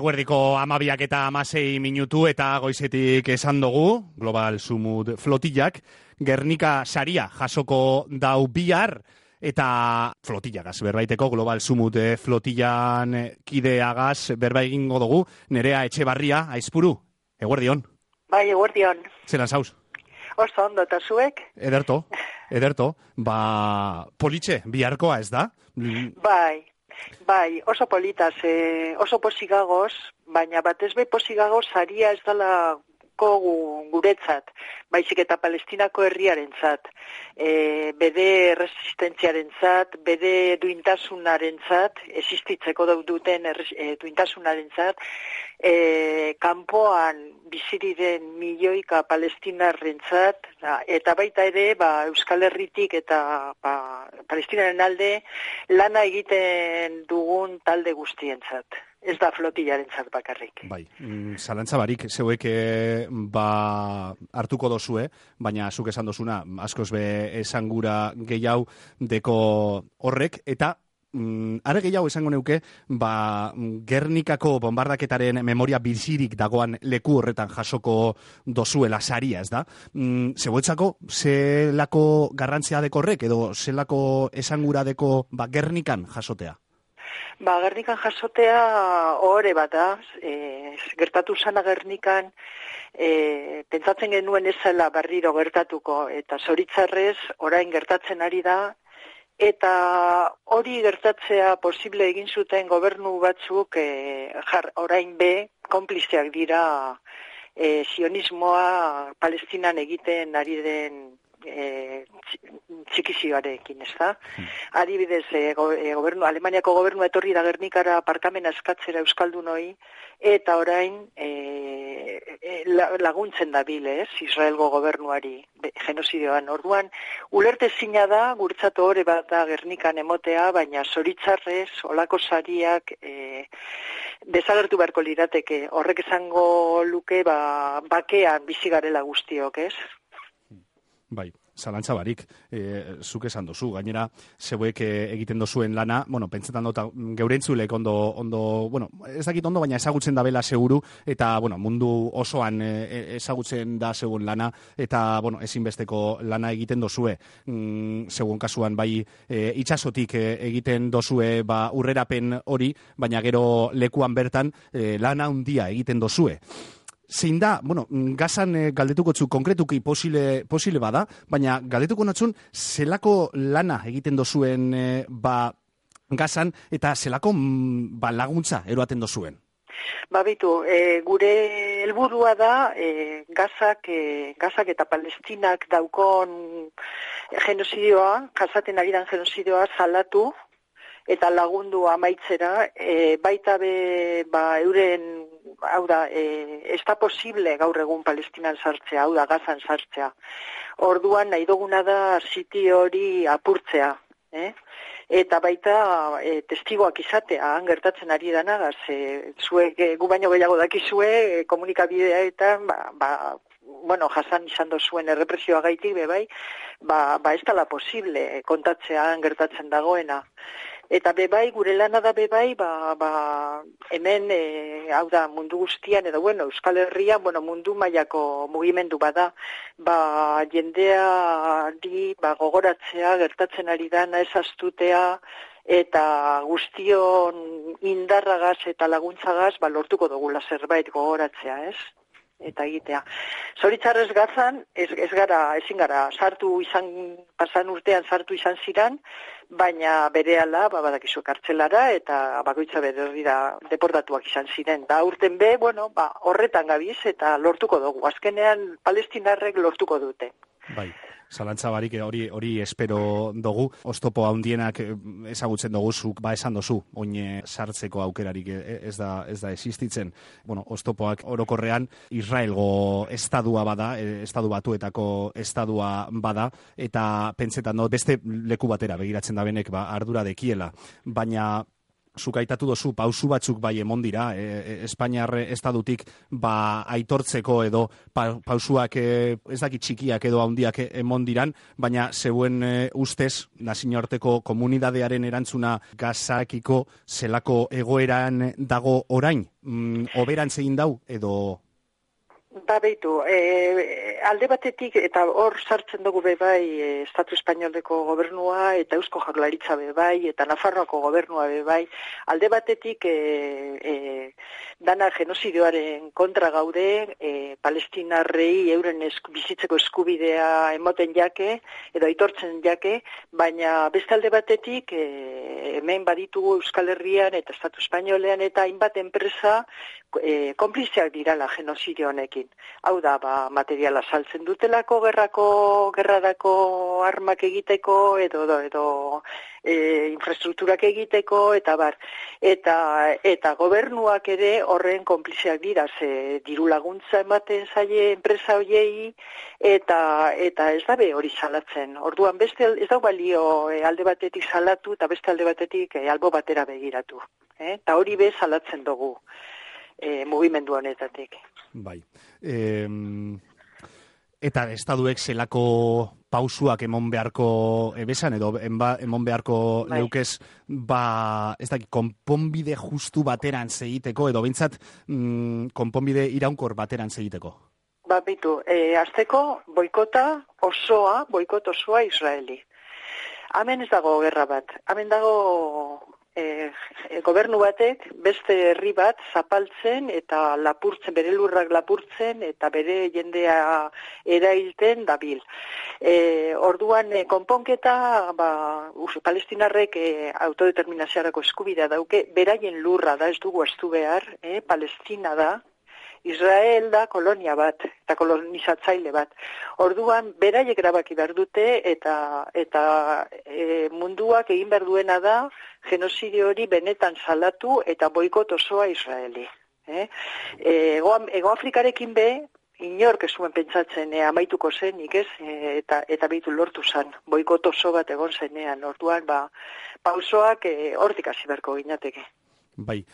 Eguerdiko 12:16 eta goizetik esan dugu, Global Sumut flotillak, Gernika saria jasoko dau bihar, eta flotillagaz berbaiteko Global Sumut flotillan kideagaz berba egingo dugu, Nerea Etxebarria, Aizpuru, eguerdion. Bai, eguerdion. Zelan zauz? Oso ondo, eta zuek? Ederto. Politxe, biharkoa ez da? Bai, oso politaz, oso posigagoz, baina batez be posigagoz saria ez dela guretzat, baizik eta Palestinako herriarentzat, bere resistentziarentzat, bere duintasunarentzat, existitzeko duten duintasunarentzat, kanpoan biziriren milioika palestinarrentzat, eta baita ere Euskal Herritik eta Palestinaren alde lana egiten dugun talde guztientzat. Ez da flotillarentzat bakarrik. Bai, zalantza barik, zeuek hartuko dozue, baina zuk esan dozuna, askoz be esangura gehiago deko horrek, eta are gehiago esango neuke, Gernikako bombardaketaren memoria bizirik dagoan leku horretan jasoko dozuela saria, ez da? Zeuetzako, zelako garrantzia deko horrek, edo zelako esangura deko Gernikan jasotea? Gernikan jasotea ohore bat da, gertatu zana Gernikan, pentsatzen genuen ezela berriro gertatuko, eta zoritzarrez orain gertatzen ari da, eta hori gertatzea posible egin zuten gobernu batzuk orain be, konplizeak dira sionismoa Palestinan egiten ari den txikizioarekin, ez da? Adibidez, Alemaniako gobernu etorri da Gernikara aparkamena eskatzera euskaldunoi, eta orain laguntzen dabil, Israelgo gobernuari genozidioan. Orduan, ulertezina da, guretzat ohore bat da Gernikan emotea, baina zoritzarrez, olako sariak desagertu beharko lirateke. Horrek esango luke, bakean bizi garela guztiok, ez? Bai, zalantza barik, zuk esan dozu, gainera, zeuek egiten dozuen lana, pentsetan dut, geurentzulek ez dakit ondo, baina ezagutzen da bela seguru, eta, mundu osoan ezagutzen da zeuen lana, eta, ezinbesteko lana egiten dozue, zeuen kasuan, bai, itxasotik egiten dozue, urrerapen hori, baina gero lekuan bertan, lana handia egiten dozue. Zein da, Gazan galdetuko txu konkretuki posile bada, baina galdetuko natzun zelako lana egiten dozuen Gazan eta zelako laguntza eroaten dozuen? Bitu, gure helburua da Gazak eta Palestinak daukon genozidioa, jasaten ari dan genozidioa salatu eta lagundu amaitzera, baita be euren, hau da, ez da posible gaur egun Palestinan sartzea, hau da, Gazan sartzea. Orduan nahi duguna da siti hori apurtzea, eta baita testigoak izatea, gertatzen ari danagaz, zuek gu baino gehiago dakizue, komunikabideetan, jasan izan dozuen errepresioa gaitik, bai, ez dala posible kontatzea gertatzen dagoena. Eta bebai, gure lana da bebai, hemen, hau da, mundu guztian, edo, Euskal Herrian, mundu mailako mugimendu bada, jendeari, gogoratzea, gertatzen ari dana, ez astutea, eta guztion indarragaz eta laguntzagaz, lortuko dugula zerbait gogoratzea, ez? Eta egitea. Zoritzarrez Gazan, ezin gara, pasan urtean sartu izan ziran, baina berehala, badakizu kartzelara, eta bakoitza berrira deportatuak izan ziren. Da urten be, horretan gabiz, eta lortuko dugu. Azkenean, palestinarrek lortuko dute. Bai. Zalantza barik hori espero dugu. Oztopo handienak ezagutzen dugu, zuk esan dozu, oin sartzeko aukerarik ez da existitzen. Oztopoak orokorrean Israelgo estadua bada, estadu batuetako estadua bada, eta pentsetan beste leku batera begiratzen da benek ardura dekiela. Baina zuk aitatu dozu pausu batzuk bai emon dira, Espainiar estadutik aitortzeko edo pausuak ez dakit txikiak edo handiak emon diran, baina zeuen ustez, nazioarteko komunidadearen erantzuna Gazakiko zelako egoeran dago orain, oberantz egin dau edo... Beitu, alde batetik, eta hor sartzen dugu bai Estatu Espainoleko gobernua, eta Eusko Jaurlaritza bai, eta Nafarroako gobernua bai, alde batetik dana genozidioaren kontra gaude, palestinarrei euren bizitzeko eskubidea emoten jake, edo aitortzen jake, baina beste alde batetik, hemen baditugu Euskal Herrian eta Estatu Espainolean eta hainbat enpresa konpliziak dirala genozidio honekin. Hau da, materiala saltzen dutelako, gerrarako armak egiteko, edo infrastrukturak egiteko, eta bar. Eta gobernuak ere horren konpliziak dira, ze diru laguntza ematen zaie enpresa hoiei, eta ez da hori salatzen. Orduan beste ez da balio alde batetik salatu, eta beste alde batetik albo batera begiratu. Eta hori salatzen dugu. Mugimendu honetatik. Bai. Eta estaduek zelako pausuak emon beharko ebesan, edo emon beharko leukez, ez dakit, konponbide justu bateran segiteko, edo bintzat konponbide iraunkor bateran segiteko? Bitu, azteko boikot osoa Israeli. Hemen ez dago gerra bat, hemen dago gobernu batek beste herri bat zapaltzen eta lapurtzen, bere lurrak lapurtzen eta bere jendea erailten dabil. Orduan konponketa, palestinarrek autodeterminaziarako eskubidea dauke, beraien lurra da, ez dugu estu behar, Palestina da, Israel da kolonia bat, eta kolonizatzaile bat. Orduan, beraiek erabaki behar dute, eta munduak egin behar duena da, genozidio hori benetan salatu eta boikot osoa Israeli. Ego Afrikarekin inork ez zuen pentsatzen amaituko zenik, ez? Eta behitu lortu zen, boikot oso bat egon zenean. Orduan, pausoak hortik hasi beharko ginateke. Bai,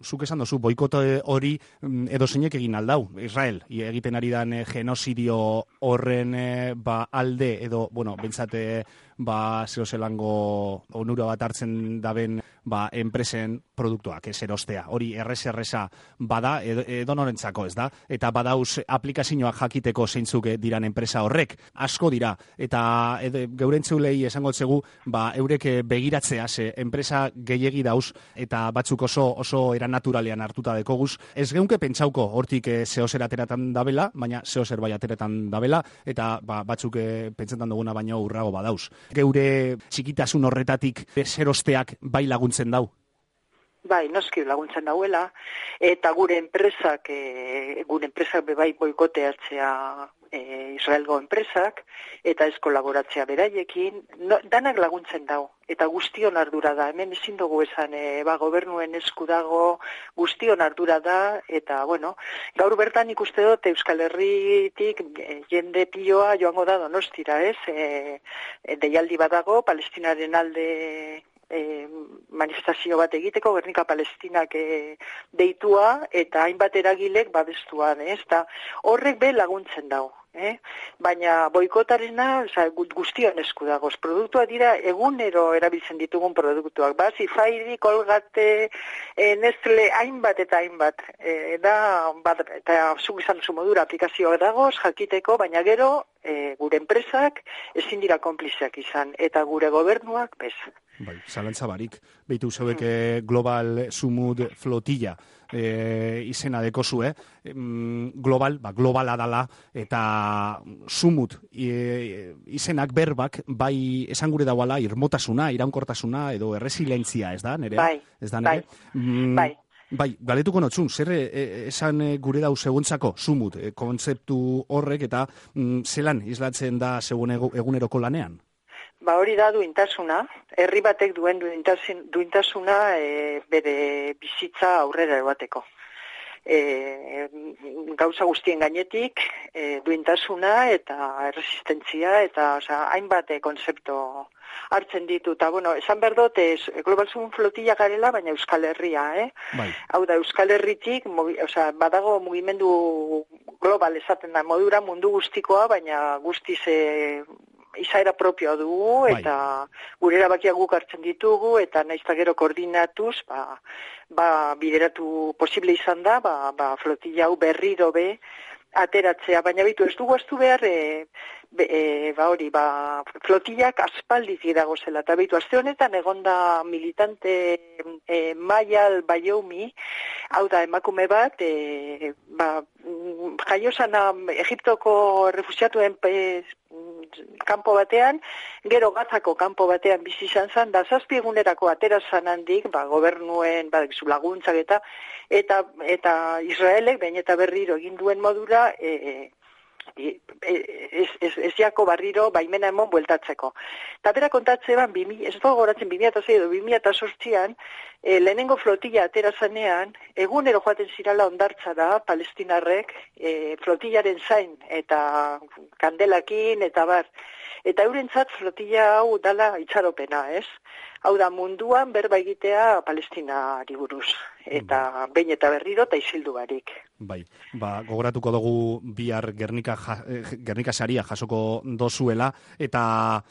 zuk esan dozu, boikot hori edo zeinek egin aldau, Israel, egiten ari dan genozidio horren alde edo, bentsate, zehozelango onura bat hartzen daben enpresen produktuak, ez erostea. Hori erresa bada, edo norentzako, ez da? Eta badauz aplikazioak jakiteko zeintzuk diran enpresa horrek, asko dira. Eta geurentzeulei esango zegu, eurek begiratzea, ze enpresa gehiegi dauz, eta batzuk oso eran naturalean hartuta dekoguz. Ez geunke pentsauko hortik zehozer ateratan dabela, baina zehozer bai ateratan dabela, eta batzuk pentsetan duguna baino urrago badauz. Geure txikitasun horretatik zerosteak bai laguntzen dau? Bai, noski laguntzen dauela, eta gure enpresak bai boikoteatzea Israelgo enpresak, eta ez kolaboratzea beraiekin, danak laguntzen dau, eta guztion ardura da, hemen ezin dugu esan, gobernuen esku dago, guztion ardura da, eta, gaur bertan ikuste dut Euskal Herritik jende piloa joango da Donostira, ez? Deialdi badago, Palestinaren alde manifestazio bat egiteko, Gernika Palestinak deitua, eta hainbat eragilek babestuan, ez? Eta horrek laguntzen dau. Baina boikotarena guztion esku dagoz. Produktua dira egunero erabiltzen ditugun produktuak. Zifairi, Colgate, Nestle, hainbat eta hainbat. Eta zuk izan duzu modura aplikazioak dagoz, jakiteko, baina gero gure enpresak ezin dira konplizeak izan. Eta gure gobernuak bez. Bai, zalantza barik. Beitu zeuek Global Sumud Flotilla izena dekozue. Globala dala eta Sumut izenak berbak bai esan gure dauala irmotasuna, iraunkortasuna edo erresilientzia, ez da, nere? Bai, ez da, nere? Bai. Bai, galetuko notzun, zer esan gure dau seguntzako Sumut kontzeptu horrek eta zelan islatzen da segun eguneroko lanean? Hori da duintasuna, herri batek duen duintasuna bere bizitza aurrera ebateko. Gauza guztien gainetik duintasuna eta resistentzia eta hainbat kontzeptu hartzen ditu. Eta, bueno, esan behar dut, Global Sun flotilla garela, baina Euskal Herria, Bai. Hau da, Euskal Herritik, badago mugimendu global esaten da modura mundu guztikoa, baina guztiz izaera propioa dugu, eta gure erabakiak guk hartzen ditugu, eta nahiz eta gero koordinatuz, bideratu posible izan da, flotilla hau berriro ateratzea, baina bitu ez dugu astu behar flotillak aspaldiz dago zela, eta bitu aste honetan egonda militante Maial Bayoumi, hau da emakume bat, jaiosana Egiptoko refusiatuen kanpo batean, gero Gazako kanpo batean bizi izan zen, da 7 egunerako atera zan handik, gobernuen, laguntzak eta Israelek, behin eta berriro egin duen modura, ez jako barriro baimena emon bueltatzeko. Eta bera kontatzean, ez dago goratzen 2006 edo 2008an, lehenengo flotilla atera zanean, egunero joaten zirala hondartza da, palestinarrek, flotillaren zain, eta kandelakin, eta bar. Eta eurentzat flotilla hau dala itxaropena, ez? Hau da munduan berba egitea Palestinari buruz. Eta behin eta berriro eta isildu barik. Bai, gogoratuko dugu bihar Gernika saria jasoko dozuela, eta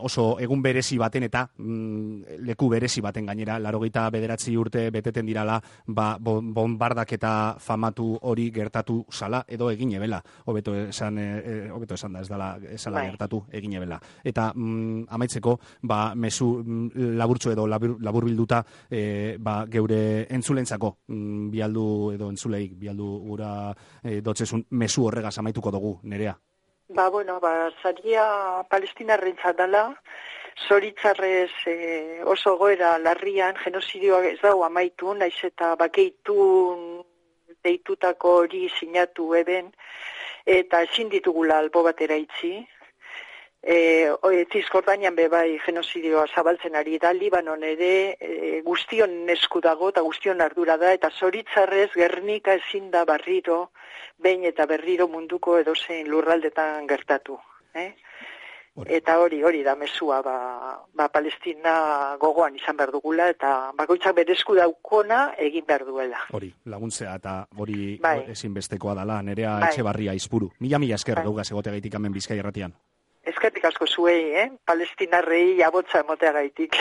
oso egun berezi baten eta leku berezi baten gainera, 89 urte beteten dirala, bombardak eta famatu hori gertatu zala, edo egin ebela, hobeto esan da, ez dala gertatu egin ebela. Eta amaitzeko, mezu laburtxo edo labur bilduta, geure entzulentzako bialdu edo entzuleik bialdu gura dotzezun mezu horregaz amaituko dugu, Nerea. Saria palestinarrentzat dela, zoritzarrez oso goera larrian, genozidioa ez dago amaitu, naiz eta bakeitu deitutako hori sinatu eben, eta ezin ditugula albo batera itzi. Zizkordanian bai genozidioa zabaltzen ari da, Libanon ere guztion esku dago eta guztion ardura da, eta zoritzarrez Gernika ezin da barriro, behin eta berriro munduko edozein lurraldetan gertatu. Eta hori da mezua, Palestina gogoan izan behar dugula, eta bakoitzak bere esku daukona egin behar duela. Hori, laguntzea, eta hori ezinbestekoa dala, Nerea Etxebarria Izpuru. Mila esker gaugaz egoteagaitik hemen Bizkai Irratian. Eskerrik asko zuei, Palestinarrei abotza emoteagaitik.